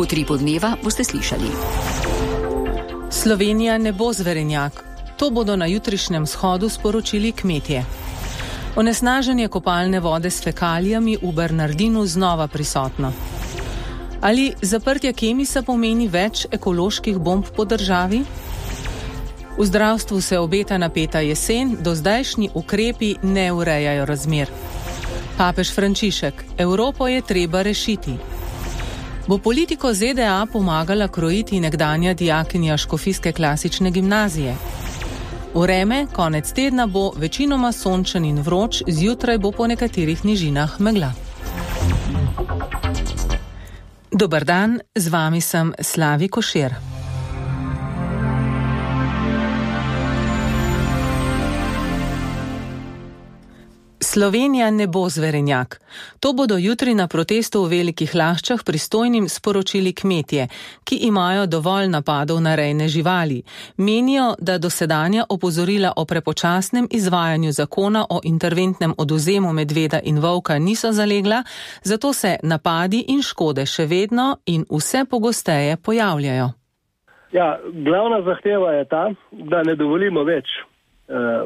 V Utripu dneva boste slišali. Slovenija ne bo zverenjak. To bodo na jutrišnjem shodu sporočili kmetje. Onesnaženje kopalne vode s fekalijami v Bernardinu znova prisotno. Ali zaprtje Kemisa pomeni več ekoloških bomb po državi? V zdravstvu se obeta napeta jesen, dozdajšnji ukrepi ne urejajo razmer. Papež Frančišek: Evropo je treba rešiti. Bo politiko ZDA pomagala krojiti nekdanja dijakinja škofijske klasične gimnazije? Vreme, konec tedna bo večinoma sončen in vroč, zjutraj bo po nekaterih nižinah megla. Dober dan, z vami sem Slavi Košir. Slovenija ne bo zverenjak. To bodo jutri na protestu v Velikih Laščah pristojnim sporočili kmetje, ki imajo dovolj napadov na rejne živali. Menijo, da dosedanja opozorila o prepočasnem izvajanju zakona o interventnem odvzemu medveda in volka niso zalegla, zato se napadi in škode še vedno in vse pogosteje pojavljajo. Ja, glavna zahteva je ta, da ne dovolimo več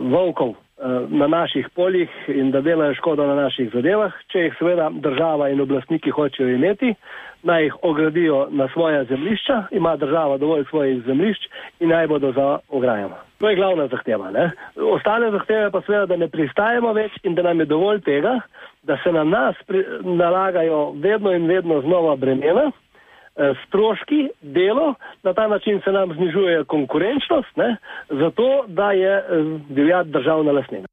volkov na naših poljih in da delajo škodo na naših zadevah. Če jih seveda država in oblastniki hočejo imeti, naj jih ogradijo na svoja zemljišča, ima država dovolj svojih zemljišč in naj bodo za ograjama. To je glavna zahteva, ne? Ostale zahteve pa seveda, da ne pristajamo več in da nam je dovolj tega, da se na nas nalagajo vedno in vedno znova bremena, stroški, delo, na ta način se nam znižuje konkurenčnost, ne, zato da je divjad državna lastnina.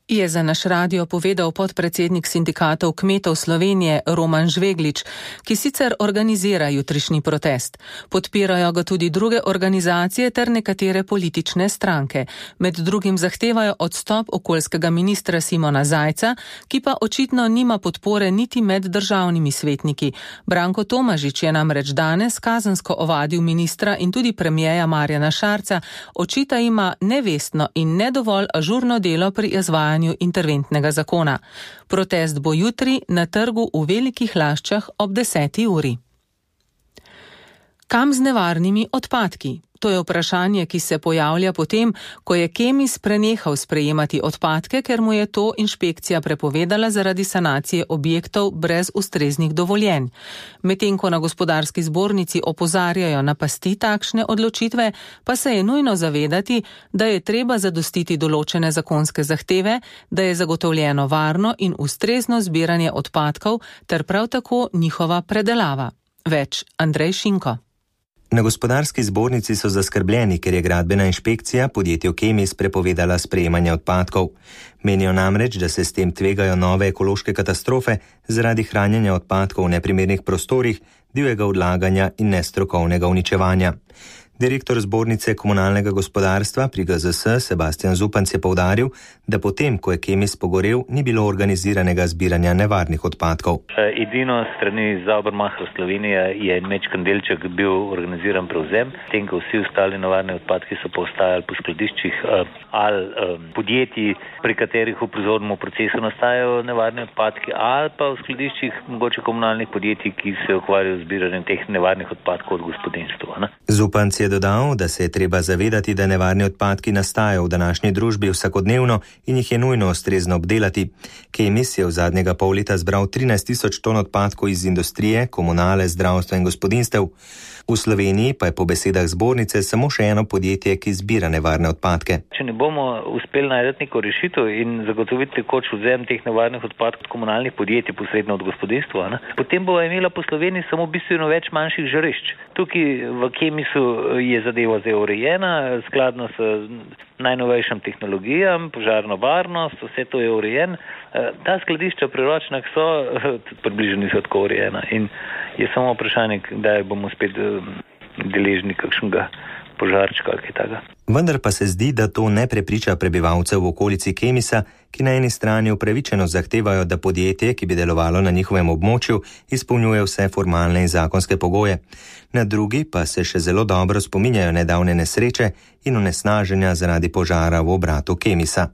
Je za naš radio povedal podpredsednik sindikatov kmetov Slovenije Roman Žveglič, ki sicer organizira jutrišnji protest. Podpirajo ga tudi druge organizacije ter nekatere politične stranke. Med drugim zahtevajo odstop okoljskega ministra Simona Zajca, ki pa očitno nima podpore niti med državnimi svetniki. Branko Tomažič je namreč danes kazensko ovadil ministra in tudi premierja Marjana Šarca, očita jima nevestno in nedovolj ažurno delo pri izvajanju interventnega zakona. Protest bo jutri na trgu v Velikih Laščah ob 10. uri. Kam z nevarnimi odpadki? To je vprašanje, ki se pojavlja potem, ko je Kemis prenehal sprejemati odpadke, ker mu je to inšpekcija prepovedala zaradi sanacije objektov brez ustreznih dovoljenj. Medtem ko na gospodarski zbornici opozarjajo na pasti takšne odločitve, pa se je nujno zavedati, da je treba zadostiti določene zakonske zahteve, da je zagotovljeno varno in ustrezno zbiranje odpadkov ter prav tako njihova predelava. Več Andrej Šinko. Na gospodarski zbornici so zaskrbljeni, ker je gradbena inšpekcija podjetju Kemis prepovedala sprejemanje odpadkov. Menijo namreč, da se s tem tvegajo nove ekološke katastrofe zaradi hranjenja odpadkov v neprimernih prostorih, divjega odlaganja in nestrokovnega uničevanja. Direktor zbornice komunalnega gospodarstva pri GZS Sebastian Zupanc je poudaril, da potem, ko je Kemis pogorel, ni bilo organiziranega zbiranja nevarnih odpadkov. Edino strani Saubermacher Slovenije je mečkan delček bil organiziran prevzem, tem, ko vsi ostali nevarni odpadki so pa ostajali po skladiščih ali podjetij, pri katerih v proizvodnem procesu nastajajo nevarni odpadki, ali pa v skladiščih mogoče komunalnih podjetij, ki se ukvarjajo z zbiranjem teh nevarnih odpadkov od gospodinjstva. Zupanc je dodal, da se je treba zavedati, da nevarni odpadki nastajajo v današnji družbi vsakodnevno in jih je nujno ustrezno obdelati. Kemis je v zadnjega pol leta zbral 13.000 ton odpadkov iz industrije, komunale, zdravstva in gospodinjstev. V Sloveniji pa je po besedah zbornice samo še eno podjetje, ki zbira nevarne odpadke. Če ne bomo uspeli najti neko rešitev in zagotoviti tekoč odvzem teh nevarnih odpadkov komunalnih podjetij posredno od gospodinjstva, potem bo imela po Sloveniji samo bistveno več manjših žarišč. Tukaj v Kemisu je zadeva zdaj urejena, skladno s najnovejšim tehnologijam, požarno varnost, vse to je urejen. Ta skladišča pri Ročnah so približno niso tako urejena in je samo vprašanje, kdaj bomo spet deležni kakšnega požarčka ali kaj takega. Vendar pa se zdi, da to ne prepriča prebivalcev v okolici Kemisa, ki na eni strani upravičeno zahtevajo, da podjetje, ki bi delovalo na njihovem območju, izpolnjuje vse formalne in zakonske pogoje. Na drugi pa se še zelo dobro spominjajo nedavne nesreče in onesnaženja zaradi požara v obratu Kemisa.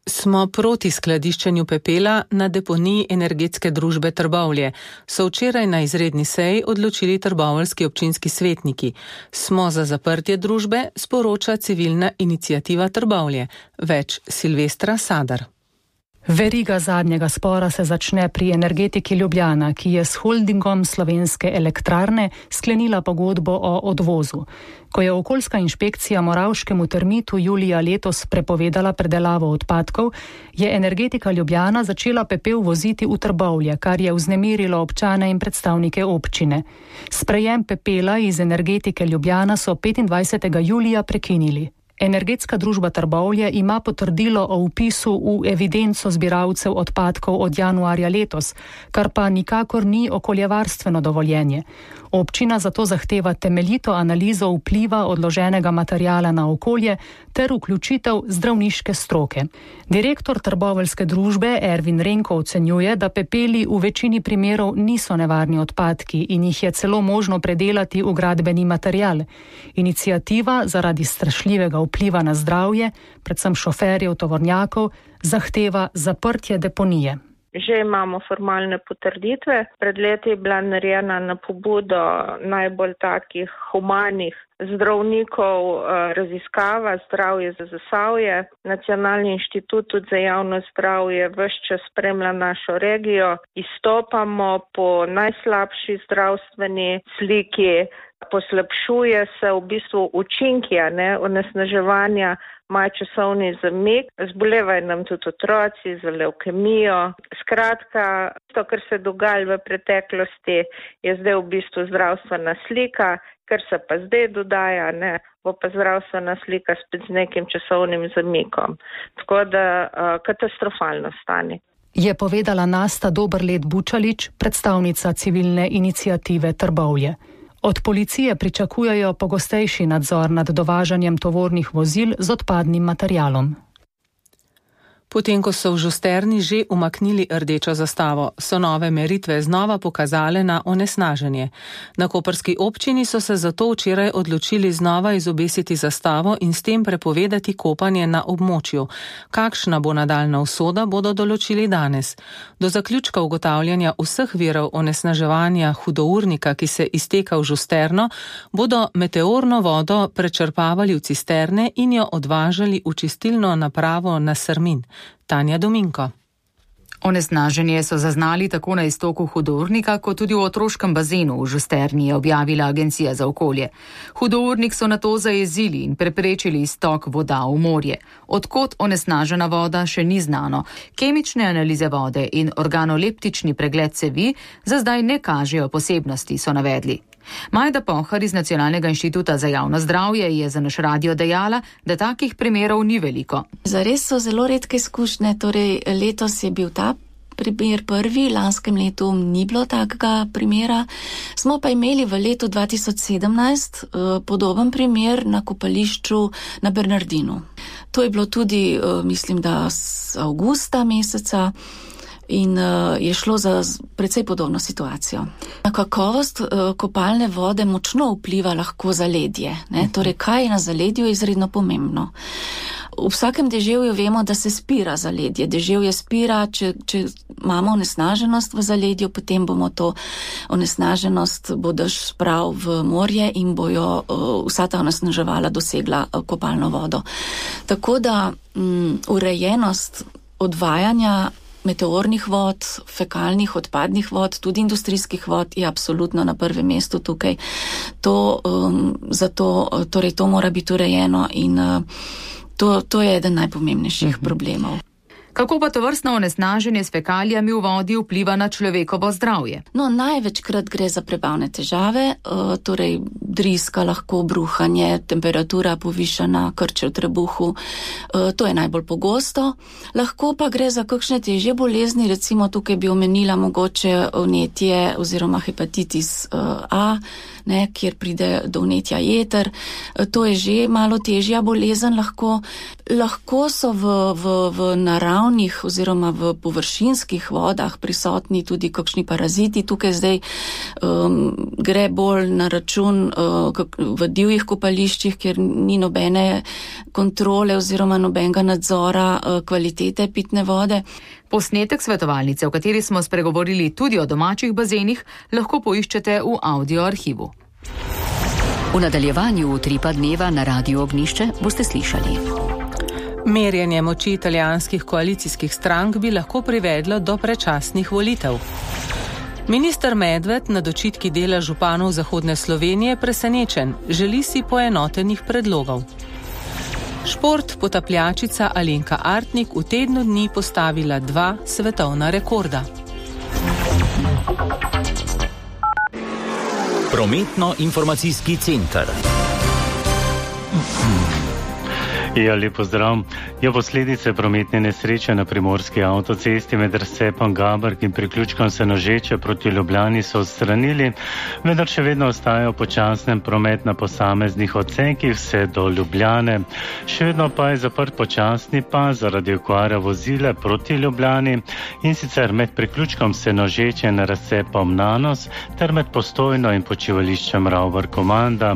Smo proti skladiščenju pepela na deponiji energetske družbe Trbovlje, so včeraj na izredni seji odločili trboveljski občinski svetniki. Smo za zaprtje družbe, sporoča civilna iniciativa Trbovlje. Več Silvestra Sadar. Veriga zadnjega spora se začne pri Energetiki Ljubljana, ki je s holdingom Slovenske elektrarne sklenila pogodbo o odvozu. Ko je okoljska inšpekcija Moravškemu termitu julija letos prepovedala predelavo odpadkov, je Energetika Ljubljana začela pepel voziti v Trbovlje, kar je vznemirilo občane in predstavnike občine. Sprejem pepela iz Energetike Ljubljana so 25. julija prekinili. Energetska družba Trbovlje ima potrdilo o vpisu v evidenco zbiralcev odpadkov od januarja letos, kar pa nikakor ni okoljevarstveno dovoljenje. Občina zato zahteva temeljito analizo vpliva odloženega materiala na okolje ter vključitev zdravniške stroke. Direktor trboveljske družbe Ervin Renko ocenjuje, da pepeli v večini primerov niso nevarni odpadki in jih je celo možno predelati v gradbeni material. Iniciativa zaradi strašljivega vpliva na zdravje, predvsem šoferjev tovornjakov, zahteva zaprtje deponije. Že imamo formalne potrditve. Pred leti je bila narejena na pobudo najbolj takih humanih zdravnikov raziskava zdravje za Zasavje. Nacionalni inštitut tudi za javno zdravje ves čas spremlja našo regijo. Izstopamo po najslabši zdravstveni sliki. Poslabšuje se v bistvu učinki onesnaževanja, ima časovni zamik, zbolevajo nam tudi otroci za levkemijo. Skratka, to, kar se dogaja v preteklosti, je zdaj v bistvu zdravstvena slika, kar se pa zdaj dodaja, bo pa zdravstvena slika spet z nekim časovnim zamikom. Tako da katastrofalno stanje. Je povedala Nasta Dobrlet Bučalič, predstavnica civilne iniciative Trbovlje. Od policije pričakujejo pogostejši nadzor nad dovažanjem tovornih vozil z odpadnim materialom. Potem, ko so v Žusterni že umaknili rdečo zastavo, so nove meritve znova pokazale na onesnaženje. Na koprski občini so se zato včeraj odločili znova izobesiti zastavo in s tem prepovedati kopanje na območju. Kakšna bo nadaljna usoda, bodo določili danes. Do zaključka ugotavljanja vseh virov onesnaževanja hudournika, ki se izteka v Žusterno, bodo meteorno vodo prečrpavali v cisterne in jo odvažali v čistilno napravo na Srmin. Tanja Dominko. Onesnaženje so zaznali tako na iztoku hudournika, kot tudi v otroškem bazenu v Žusterni, je objavila Agencija za okolje. Hudournik so nato zajezili in preprečili iztok voda v morje. Odkot onesnažena voda še ni znano. Kemične analize vode in organoleptični pregled cevi za zdaj ne kažejo posebnosti, so navedli. Majda Pohar iz Nacionalnega inštituta za javno zdravje je za naš radio dejala, da takih primerov ni veliko. Zares so zelo redke izkušnje, torej letos je bil ta primer prvi, lanskem letu ni bilo takega primera. Smo pa imeli v letu 2017 podoben primer na kopališču na Bernardinu. To je bilo tudi, mislim, da z avgusta meseca. In je šlo za precej podobno situacijo. Kakovost kopalne vode močno vpliva lahko zaledje. Torej, kaj je na zaledju, je izredno pomembno. V vsakem deževju vemo, da se spira zaledje. Deževje spira, če imamo onesnaženost v zaledju, potem bomo to onesnaženost bodoš sprav v morje in bojo vsa ta onesnaževala dosegla kopalno vodo. Tako da urejenost odvajanja meteornih vod, fekalnih, odpadnih vod, tudi industrijskih vod je absolutno na prvem mestu tukaj. Torej to mora biti urejeno in to je eden najpomembnejših problemov. Kako pa tovrstno onesnaženje s fekalijami v vodi vpliva na človekovo zdravje? No, največkrat gre za prebavne težave, torej driska, lahko bruhanje, temperatura povišana, krče v trebuhu, to je najbolj pogosto. Lahko pa gre za kakšne težje bolezni, recimo tukaj bi omenila mogoče vnetje oziroma hepatitis A, kjer pride do vnetja jeter. To je že malo težja bolezen lahko. Lahko so v naravnih oziroma v površinskih vodah prisotni tudi kakšni paraziti. Tukaj zdaj gre bolj na račun v divjih kopališčih, kjer ni nobene kontrole oziroma nobenega nadzora kvalitete pitne vode. Posnetek svetovalnice, v kateri smo spregovorili tudi o domačih bazenih, lahko poiščete v audio arhivu. V nadaljevanju Utripa dneva na Radiu Ognjišče boste slišali. Merjenje moči italijanskih koalicijskih strank bi lahko privedlo do predčasnih volitev. Minister Medved nad očitki dela županov Zahodne Slovenije presenečen, želi si poenotenih predlogov. Šport, potapljačica Alenka Artnik v tednu dni postavila 2 svetovna rekorda. Prometno-informacijski center. Lep pozdrav. Posledice prometne nesreče na primorski avtocesti med razcepom Gaberg in priključkom Senožeče proti Ljubljani so odstranili, vendar še vedno ostajajo počasen promet na posameznih odsekih vse do Ljubljane. Še vedno pa je zaprt počasni pas zaradi okvare vozila proti Ljubljani, in sicer med priključkom Senožeče in razcepom Nanos ter med Postojno in počivališčem Ravbar Komanda.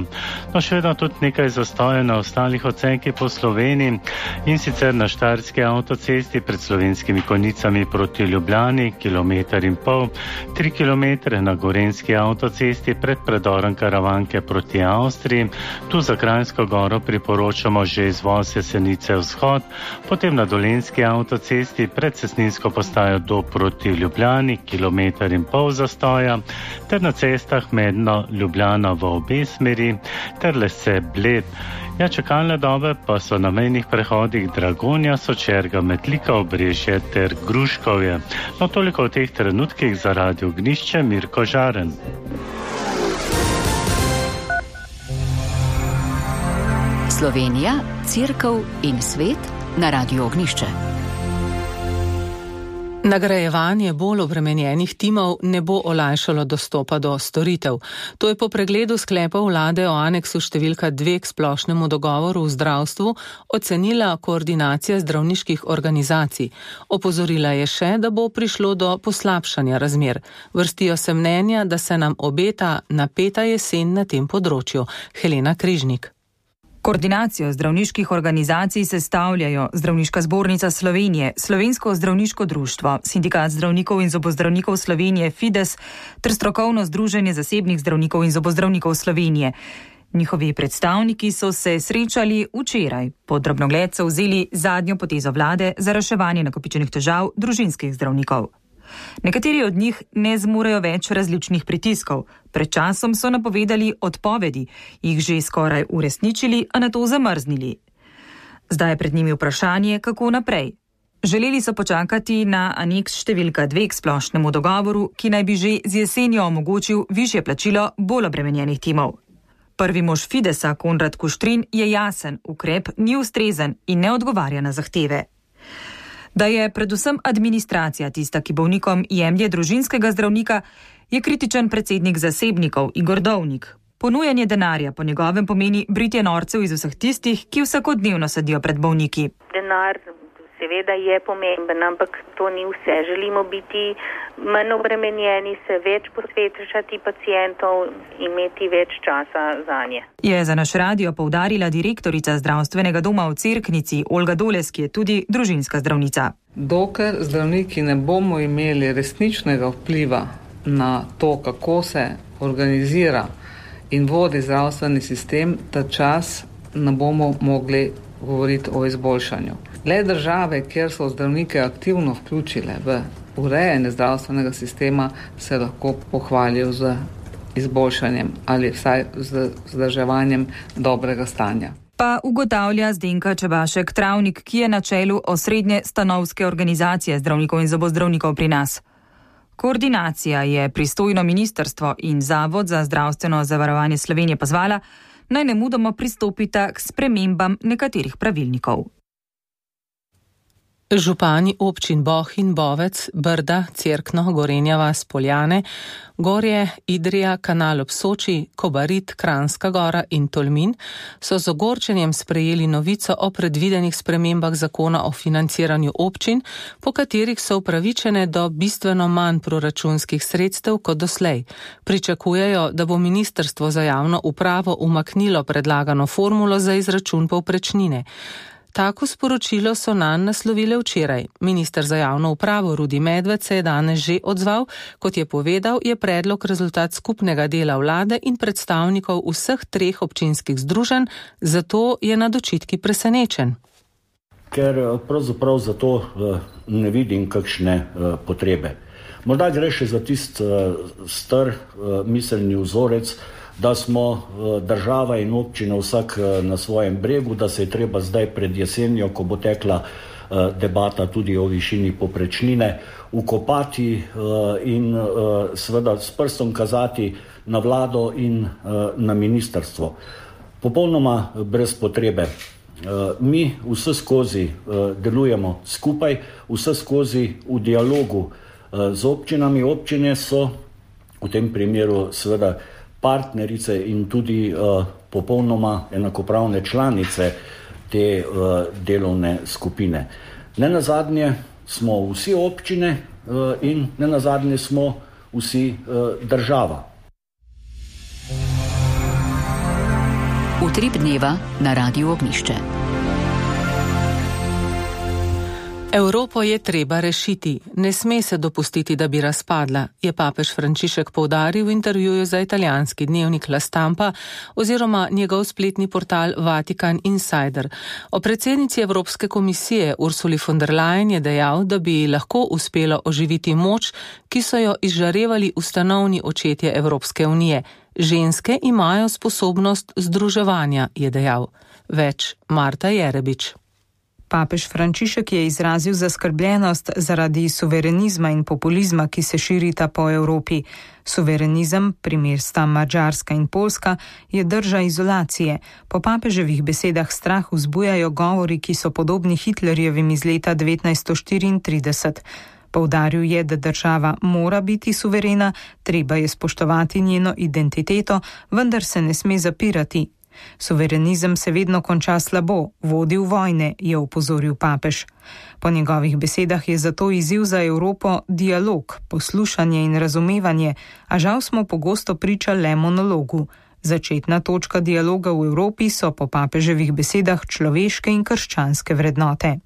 Še vedno tudi nekaj zastoja na ostalih odsekih po Sloveniji, in sicer na Štajerski avtocesti pred Slovenskimi Konjicami proti Ljubljani 1,5 km, 3 km na Gorenjski avtocesti pred predorom Karavanke proti Avstriji. Tu za Kranjsko Goro priporočamo že izvoz Jesenice vzhod, potem na Dolenjski avtocesti pred Cestninsko postajo do proti Ljubljani 1,5 km zastoja, ter na cestah Medno Ljubljana v obe smeri ter Lesce Bled. Čakalne dobe pa so na mejnih prehodih Dragonja, Sočerga, Metlika, Obrežje ter Gruškovje. Toliko v teh trenutkih za Radio Ognjišče, Mirko Žaren. Slovenija, Cerkev in svet na Radio Ognjišče. Nagrajevanje bolj obremenjenih timov ne bo olajšalo dostopa do storitev. To je po pregledu sklepov vlade o aneksu številka 2 k splošnemu dogovoru v zdravstvu ocenila koordinacija zdravniških organizacij. Opozorila je še, da bo prišlo do poslabšanja razmer. Vrstijo se mnenja, da se nam obeta napeta jesen na tem področju. Helena Križnik. Koordinacijo zdravniških organizacij sestavljajo Zdravniška zbornica Slovenije, Slovensko zdravniško društvo, Sindikat zdravnikov in zobozdravnikov Slovenije Fides ter Strokovno združenje zasebnih zdravnikov in zobozdravnikov Slovenije. Njihovi predstavniki so se srečali včeraj. Pod drobnogled so vzeli zadnjo potezo vlade za reševanje nakopičenih težav družinskih zdravnikov. Nekateri od njih ne zmorejo več različnih pritiskov. Pred časom so napovedali odpovedi, jih že skoraj uresničili, a nato zamrznili. Zdaj je pred njimi vprašanje, kako naprej. Želeli so počakati na aneks številka 2 k splošnemu dogovoru, ki naj bi že z jesenjo omogočil višje plačilo bolj obremenjenih timov. Prvi mož Fidesa, Konrad Kuštrin, je jasen, ukrep ni ustrezen in ne odgovarja na zahteve. Da je predvsem administracija tista, ki bolnikom jemlje družinskega zdravnika, je kritičen predsednik zasebnikov Igor Dovnik. Ponujanje denarja po njegovem pomeni britje norcev iz vseh tistih, ki vsakodnevno sedijo pred bolniki. Denar seveda je pomemben, ampak to ni vse. Želimo biti manj obremenjeni, se več posvečati pacientov, imeti več časa zanje. Je za naš radio poudarila direktorica zdravstvenega doma v Cerknici Olga Doles, ki je tudi družinska zdravnica. Dokler zdravniki ne bomo imeli resničnega vpliva na to, kako se organizira in vodi zdravstveni sistem, ta čas ne bomo mogli govoriti o izboljšanju. Le države, kjer so zdravnike aktivno vključile v urejanje zdravstvenega sistema, se lahko pohvalijo z izboljšanjem ali vsaj z vzdrževanjem dobrega stanja. Pa ugotavlja Zdenka Čebašek Travnik, ki je na čelu osrednje stanovske organizacije zdravnikov in zobozdravnikov pri nas. Koordinacija je pristojno ministrstvo in Zavod za zdravstveno zavarovanje Slovenije pozvala, naj nemudoma pristopita k spremembam nekaterih pravilnikov. Župani občin Bohinj, Bovec, Brda, Cerkno, Gorenja vas, Poljane, Gorje, Idrija, Kanal ob Soči, Kobarid, Kranjska Gora in Tolmin so z ogorčenjem sprejeli novico o predvidenih spremembah zakona o financiranju občin, po katerih so upravičene do bistveno manj proračunskih sredstev kot doslej. Pričakujejo, da bo Ministrstvo za javno upravo umaknilo predlagano formulo za izračun povprečnine. Tako sporočilo so nanj naslovile včeraj. Minister za javno upravo Rudi Medved se je danes že odzval. Kot je povedal, je predlog rezultat skupnega dela vlade in predstavnikov vseh 3 občinskih združenj, zato je nad očitki presenečen. Ker pravzaprav zato ne vidim kakšne potrebe. Morda gre še za tist star miselni vzorec, da smo država in občina vsak na svojem bregu, da se je treba zdaj pred jesenjo, ko bo tekla debata tudi o višini povprečnine, ukopati in seveda s prstom kazati na vlado in na ministrstvo. Popolnoma brez potrebe. Mi vse skozi delujemo skupaj, vse skozi v dialogu z občinami. Občine so v tem primeru seveda partnerice in tudi popolnoma enakopravne članice te delovne skupine. Nenazadnje smo vsi občine in nenazadnje smo vsi država. Utrip dneva na Radiu Ognjišče. Evropo je treba rešiti. Ne sme se dopustiti, da bi razpadla, je papež Frančišek poudaril v intervjuju za italijanski dnevnik La Stampa oziroma njegov spletni portal Vatikan Insider. O predsednici Evropske komisije Ursuli von der Leyen je dejal, da bi lahko uspelo oživiti moč, ki so jo izžarevali ustanovni očetje Evropske unije. Ženske imajo sposobnost združevanja, je dejal. Več Marta Jerebič. Papež Frančišek je izrazil zaskrbljenost zaradi suverenizma in populizma, ki se širita po Evropi. Suverenizem, primer sta Madžarska in Poljska, je drža izolacije. Po papeževih besedah strah vzbujajo govori, ki so podobni Hitlerjevim iz leta 1934. Poudaril je, da država mora biti suverena, treba je spoštovati njeno identiteto, vendar se ne sme zapirati. Suverenizem se vedno konča slabo, vodi v vojne, je opozoril papež. Po njegovih besedah je zato izziv za Evropo dialog, poslušanje in razumevanje, a žal smo pogosto priča le monologu. Začetna točka dialoga v Evropi so po papeževih besedah človeške in krščanske vrednote.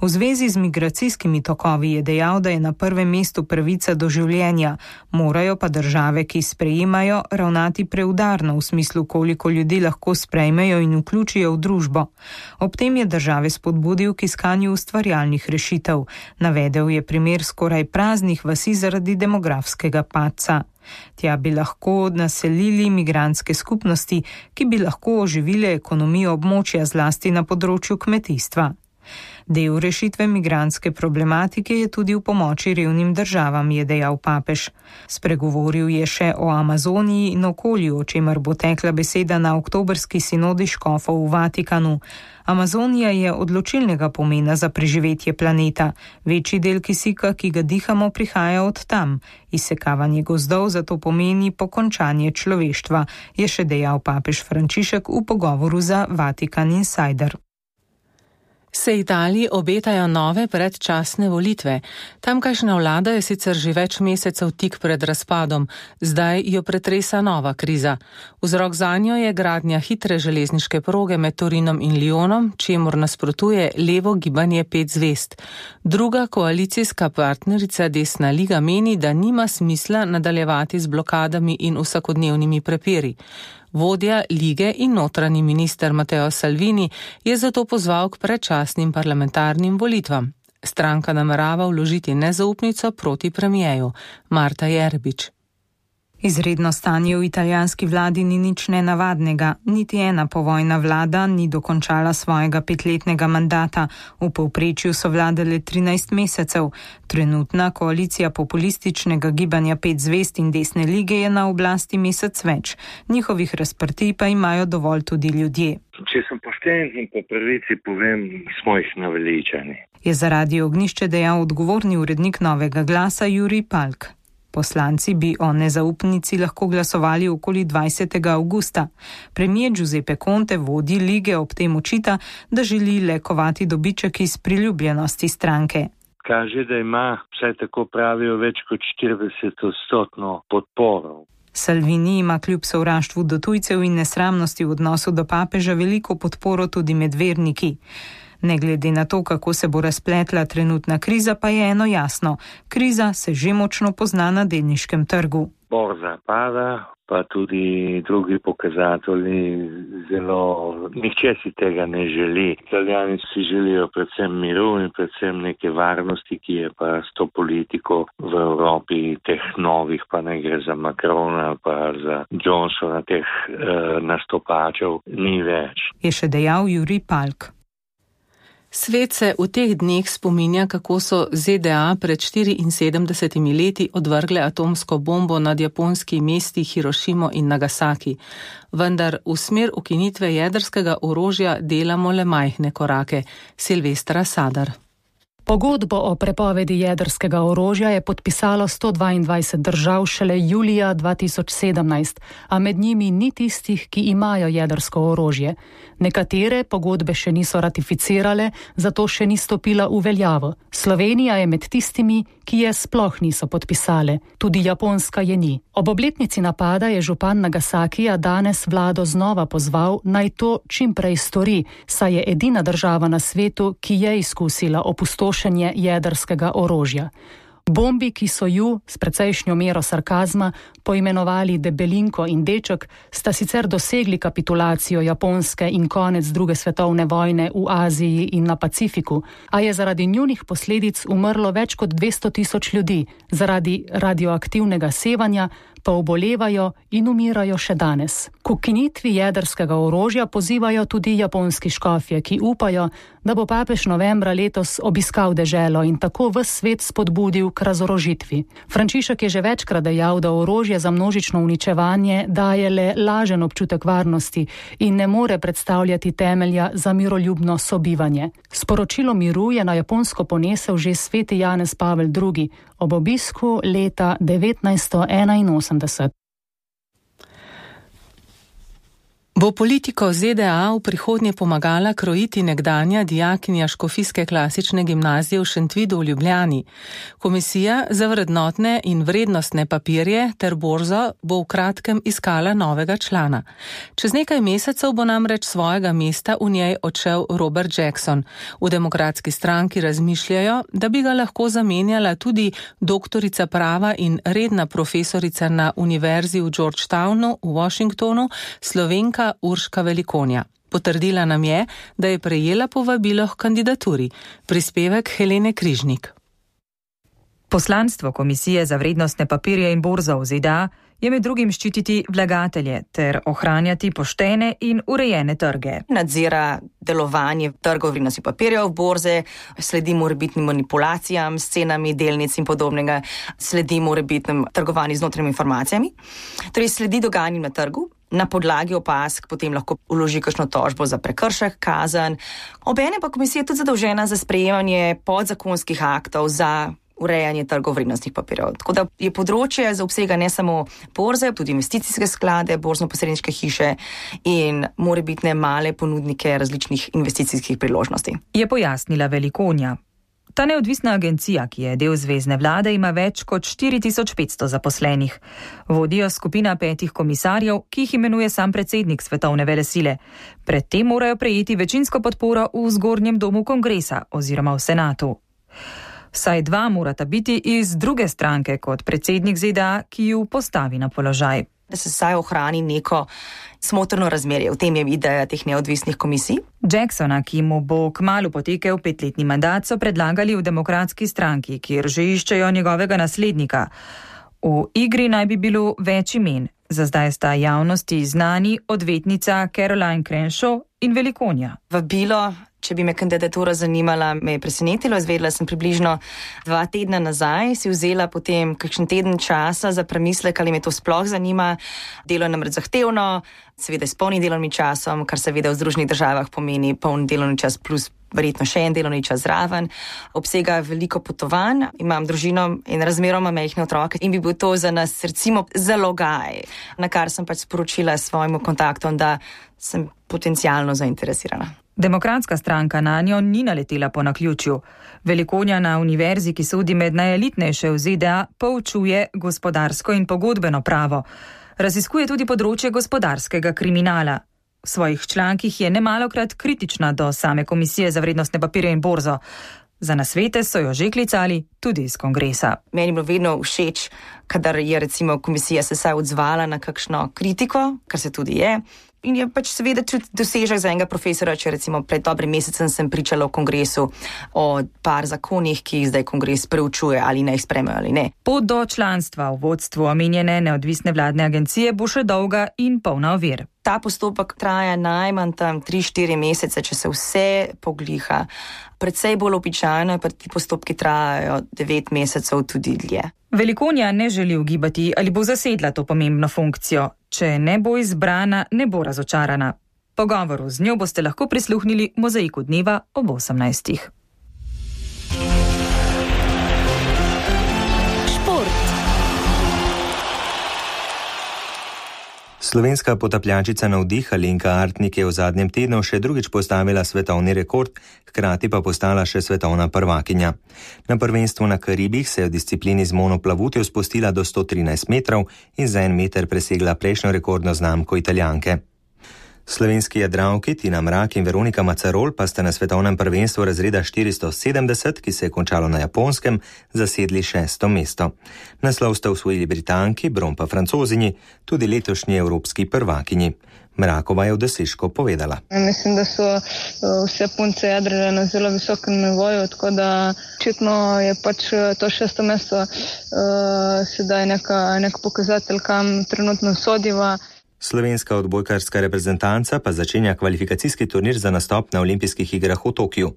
V zvezi z migracijskimi tokovi je dejal, da je na prvem mestu pravica do življenja, morajo pa države, ki sprejemajo, ravnati preudarno v smislu, koliko ljudi lahko sprejmejo in vključijo v družbo. Ob tem je države spodbudil k iskanju ustvarjalnih rešitev. Navedel je primer skoraj praznih vasi zaradi demografskega padca. Tja bi lahko naselili migrantske skupnosti, ki bi lahko oživile ekonomijo območja zlasti na področju kmetijstva. Del rešitve migrantske problematike je tudi v pomoči revnim državam, je dejal papež. Spregovoril je še o Amazoniji in okolju, o čemer bo tekla beseda na oktobrski sinodi škofov v Vatikanu. Amazonija je odločilnega pomena za preživetje planeta. Večji del kisika, ki ga dihamo, prihaja od tam. Izsekavanje gozdov zato pomeni pokončanje človeštva, je še dejal papež Frančišek v pogovoru za Vatikan Insider. Se Italiji obetajo nove predčasne volitve. Tamkajšnja vlada je sicer že več mesecev tik pred razpadom, zdaj jo pretresa nova kriza. Vzrok zanjo je gradnja hitre železniške proge med Torinom in Lyonom, čemur nasprotuje levo gibanje 5 zvezd. Druga koalicijska partnerica Desna liga meni, da nima smisla nadaljevati z blokadami in vsakodnevnimi prepiri. Vodja lige in notranji minister Matteo Salvini je zato pozval k predčasnim parlamentarnim volitvam. Stranka namerava vložiti nezaupnico proti premijeju. Marta Jerebič. Izredno stanje v italijanski vladi ni nič nenavadnega. Niti ena povojna vlada ni dokončala svojega 5-letnega mandata. V povprečju so vladale 13 mesecev. Trenutna koalicija populističnega gibanja 5 zvezd in Desne lige je na oblasti mesec več. Njihovih razprtij pa imajo dovolj tudi ljudje. Če sem pošten in po pravici povem, smo jih naveličani. Je za Radio Ognišče dejal odgovorni urednik Novega glasa Jurij Palk. Poslanci bi o nezaupnici lahko glasovali okoli 20. avgusta. Premier Giuseppe Conte, vodji lige, ob tem očita, da želi le kovati dobiček iz priljubljenosti stranke. Kaže, da ima, vsaj tako pravijo, več kot 40% podporo. Salvini ima kljub sovraštvu do tujcev in nesramnosti v odnosu do papeža veliko podporo tudi med verniki. Ne glede na to, kako se bo razpletla trenutna kriza, pa je eno jasno. Kriza se že močno pozna na delniškem trgu. Borza pada, pa tudi drugi pokazatelji zelo. Nihče si tega ne želi. Italijani si želijo predvsem miru in predvsem neke varnosti, ki je pa s to politiko v Evropi teh novih, pa ne gre za Macrona ali pa za Johnsona, teh nastopačev ni več. Je še dejal Jurij Palk. Svet se v teh dneh spominja, kako so ZDA pred 74 leti odvrgle atomsko bombo nad japonski mesti Hirošimo in Nagasaki. Vendar v smer ukinitve jedrskega orožja delamo le majhne korake. Silvestra Sadar. Pogodbo o prepovedi jedrskega orožja je podpisalo 122 držav šele julija 2017, a med njimi ni tistih, ki imajo jedrsko orožje. Nekatere pogodbe še niso ratificirale, zato še ni stopila v veljavo. Slovenija je med tistimi, ki je sploh niso podpisale. Tudi Japonska je ni. Ob obletnici napada je župan Nagasakija danes vlado znova pozval, naj to čim prej stori, saj je edina država na svetu, ki je izkusila opustošenje jedrskega orožja. Bombi, ki so ju, s precejšnjo mero sarkazma, poimenovali Debelinko in Deček, sta sicer dosegli kapitulacijo Japonske in konec druge svetovne vojne v Aziji in na Pacifiku, a je zaradi njunih posledic umrlo več kot 200 000 ljudi, zaradi radioaktivnega sevanja pa obolevajo in umirajo še danes. K ukinitvi jedrskega orožja pozivajo tudi japonski škofje, ki upajo, da bo papež novembra letos obiskal deželo in tako ves svet spodbudil k razorožitvi. Frančišek je že večkrat dejal, da orožje za množično uničevanje daje le lažen občutek varnosti in ne more predstavljati temelja za miroljubno sobivanje. Sporočilo miru je na Japonsko ponesel že sveti Janez Pavel II. Ob obisku leta 1981. Bo politiko ZDA v prihodnje pomagala krojiti nekdanja dijakinja Škofijske klasične gimnazije v Šentvidu v Ljubljani. Komisija za vrednotne in vrednostne papirje ter borzo bo v kratkem iskala novega člana. Čez nekaj mesecev bo namreč svojega mesta v njej odšel Robert Jackson. V Demokratski stranki razmišljajo, da bi ga lahko zamenjala tudi doktorica prava in redna profesorica na univerzi v Georgetownu v Washingtonu, Slovenka Urška Velikonja. Potrdila nam je, da je prejela povabilo k kandidaturi. Prispevek Helene Križnik. Poslanstvo Komisije za vrednostne papirje in borzo v ZDA je med drugim ščititi vlagatelje ter ohranjati poštene in urejene trge. Nadzira delovanje trgov vrednostnih papirjev, borze, sledi morebitnim manipulacijam s cenami delnic in podobnega, sledi morebitnim trgovanjem z notranjimi informacijami, torej sledi dogajanjem na trgu. Na podlagi opazk potem lahko vloži kakšno tožbo za prekršek, kazen. Obenem pa komisija je tudi zadolžena za sprejemanje podzakonskih aktov za urejanje trgov vrednostnih papirjev. Tako da je področje za obsega ne samo borze, tudi investicijske sklade, borzno-posredniške hiše in morebitne male ponudnike različnih investicijskih priložnosti. Je pojasnila Velikonja. Ta neodvisna agencija, ki je del zvezne vlade, ima več kot 4500 zaposlenih. Vodijo skupina 5 komisarjev, ki jih imenuje sam predsednik svetovne velesile. Predtem morajo prejeti večinsko podporo v zgornjem domu kongresa oziroma v senatu. Vsaj 2 morata biti iz druge stranke kot predsednik ZDA, ki ju postavi na položaj. Da se vsaj ohrani neko smotrno razmerje. V tem je ideja teh neodvisnih komisij. Jacksona, ki mu bo kmalu potekel 5-letni mandat, so predlagali v Demokratski stranki, kjer že iščejo njegovega naslednika. V igri naj bi bilo več imen. Za zdaj sta javnosti znani odvetnica Caroline Crenshaw in Velikonja. Vabilo Če bi me kandidatura zanimala, me je presenetilo. Izvedela sem približno 2 tedna nazaj, si vzela potem kakšen teden časa za premislek, ali me to sploh zanima. Delo je namreč zahtevno, seveda s polnim delovnim časom, kar seveda v Združenih državah pomeni poln delovni čas plus verjetno še en delovni čas zraven. Obsega veliko potovanj, imam družino in razmeroma majhne otroke in bi bil to za nas recimo zalogaj, na kar sem pač sporočila svojemu kontaktom, da sem potencialno zainteresirana. Demokratska stranka na njo ni naletela po naključju. Velikonja na univerzi, ki sodi med najelitnejše v ZDA, poučuje gospodarsko in pogodbeno pravo. Raziskuje tudi področje gospodarskega kriminala. V svojih člankih je nemalokrat kritična do same Komisije za vrednostne papirje in borzo. Za nasvete so jo že klicali tudi iz kongresa. Meni je bilo vedno všeč, kadar je recimo komisija se saj odzvala na kakšno kritiko, kar se tudi je. In je pač seveda tudi dosežek za enega profesora, če recimo pred dobrim mesecem sem pričala v kongresu o par zakonih, ki jih zdaj kongres preučuje, ali naj jih sprejmejo ali ne. Pot do članstva v vodstvu omenjene neodvisne vladne agencije bo še dolga in polna ovir. Ta postopek traja najmanj tam 3-4 mesece, če se vse pogliha. Predvsej bolj običajno, pa ti postopki trajajo 9 mesecev tudi dlje. Velikonja ne želi ugibati, ali bo zasedla to pomembno funkcijo. Če ne bo izbrana, ne bo razočarana. Pogovoru z njo boste lahko prisluhnili Mozaiku dneva ob 18. Slovenska potapljačica Navdih Alenka Artnik je v zadnjem tednu še drugič postavila svetovni rekord, hkrati pa postala še svetovna prvakinja. Na prvenstvu na Karibih se je v disciplini z monoplavutjo spustila do 113 metrov in za 1 meter presegla prejšnjo rekordno znamko Italijanke. Slovenski jadralki Tina Mrak in Veronika Macarol pa sta na svetovnem prvenstvu razreda 470, ki se je končalo na Japonskem, zasedli 6. mesto. Naslov sta osvojili Britanki, bron pa Francozinji, tudi letošnji evropski prvakinji. Mrakova je v dosežku povedala. Mislim, da so vse punce jadrale na zelo visokem nivoju, tako da očitno je pač to 6. mesto sedaj nek pokazatelj, kam trenutno sodiva. Slovenska odbojkarska reprezentanca pa začenja kvalifikacijski turnir za nastop na olimpijskih igrah v Tokiu.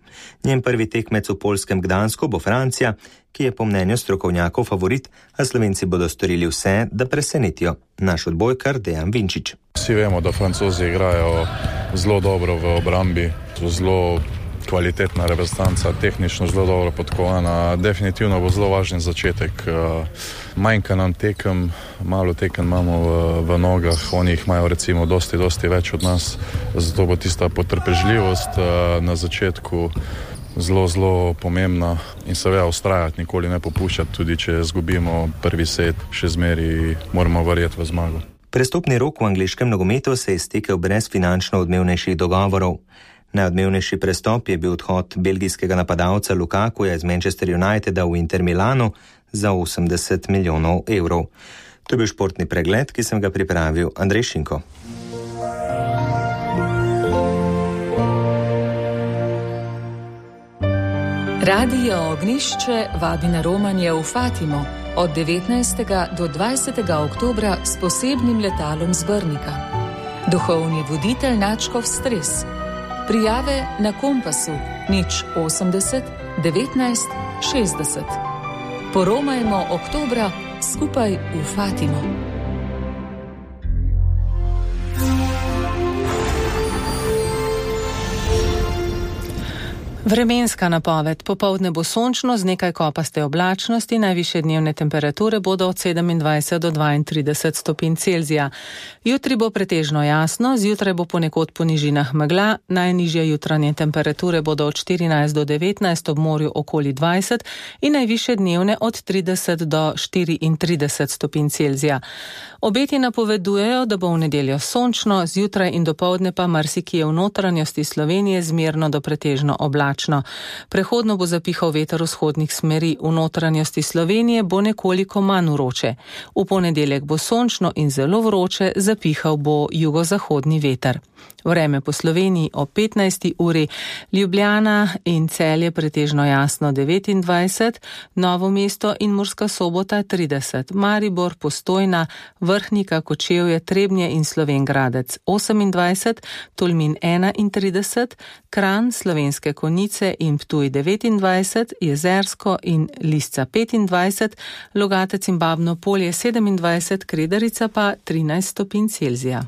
Njen prvi tekmec v poljskem Gdansku bo Francija, ki je po mnenju strokovnjakov favorit, a Slovenci bodo storili vse, da presenetijo. Naš odbojkar Dejan Vinčič. Vsi vemo, da Francozi igrajo zelo dobro v obrambi, so zelo kvalitetna reprezentanca, tehnično zelo dobro podkovana. Definitivno bo zelo važen začetek. Manjka nam tekem, malo tekem imamo v nogah, oni jih imajo recimo dosti več od nas, zato bo tista potrpežljivost na začetku zelo pomembna in seveda ustrajati, nikoli ne popuščati, tudi če izgubimo prvi set, še zmeri moramo verjeti v zmago. Prestopni rok v angleškem nogometu se je iztekel brez finančno odmevnejših dogovorov. Najodmevnejši prestop je bil odhod belgijskega napadalca Lukakuja iz Manchester Uniteda v Inter Milanu za 80 milijonov evrov. To je bil športni pregled, ki sem ga pripravil Andrej Šinko. Radio Ognišče vabi na romanje v Fatimo od 19. do 20. oktobra s posebnim letalom z Brnika. Duhovni voditelj Načkov Stres. Prijave na Kompasu 080 19 60. Poromajmo oktobra skupaj v Fatimo. Vremenska napoved. Popoldne bo sončno z nekaj kopaste oblačnosti, najvišje dnevne temperature bodo od 27 do 32 stopinj Celzija. Jutri bo pretežno jasno, zjutraj bo ponekod po nižinah megla, najnižje jutranje temperature bodo od 14 do 19, ob morju okoli 20 in najvišje dnevne od 30 do 34 stopinj Celzija. Obeti napovedujejo, da bo v nedeljo sončno, zjutraj in dopoldne pa marsikje v notranjosti Slovenije zmerno do pretežno oblačno. oblačno. Prehodno bo zapihal veter vzhodnih smeri, v notranjosti Slovenije bo nekoliko manj vroče. V ponedeljek bo sončno in zelo vroče, zapihal bo jugozahodni veter. Vreme po Sloveniji o 15. uri, Ljubljana in Celje pretežno jasno 29, Novo mesto in Murska Sobota 30, Maribor, Postojna, Vrhnika, Kočevje, Trebnje in Slovenj Gradec 28, Tolmin 31, Kranj, Slovenske Konjice in Ptuj 29, Jezersko in Lisca 25, Logatec in Babno Polje 27, Kredarica pa 13 stopinj Celzija.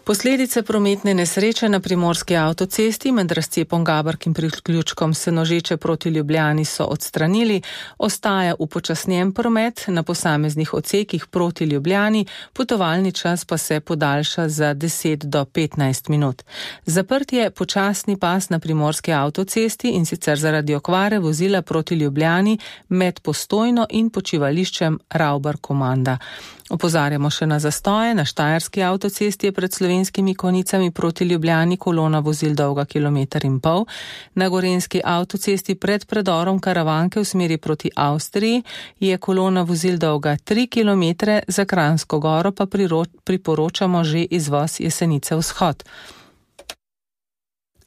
Posledice prometne nesreče na primorski avtocesti med razcepom Gaberk in priključkom Senožeče proti Ljubljani so odstranili, ostaja upočasnjen promet na posameznih odsekih proti Ljubljani, potovalni čas pa se podaljša za 10 do 15 minut. Zaprt je počasni pas na primorski avtocesti in sicer zaradi okvare vozila proti Ljubljani med Postojno in počivališčem Ravbar-Komanda. Opozarjamo še na zastoje. Na štajerski avtocesti je pred Slovenskimi Konjicami proti Ljubljani kolona vozil dolga 1,5 km. Na gorenjski avtocesti pred predorom Karavanke v smeri proti Avstriji je kolona vozil dolga 3 km, za Kranjsko Goro pa priporočamo že izvoz Jesenice vzhod.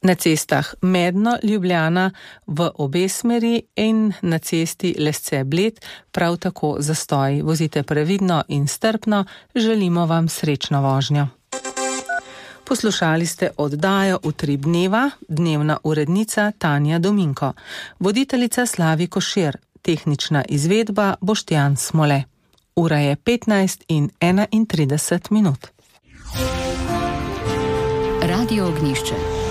Na cestah Medno, Ljubljana v obe smeri in na cesti Lesce-Bled prav tako zastoji. Vozite previdno in strpno, želimo vam srečno vožnjo. Poslušali ste oddajo Utrip dneva, dnevna urednica Tanja Dominko, voditeljica Slavi Košir, tehnična izvedba Boštjan Smole. Ura je 15:31. Radio Ognjišče.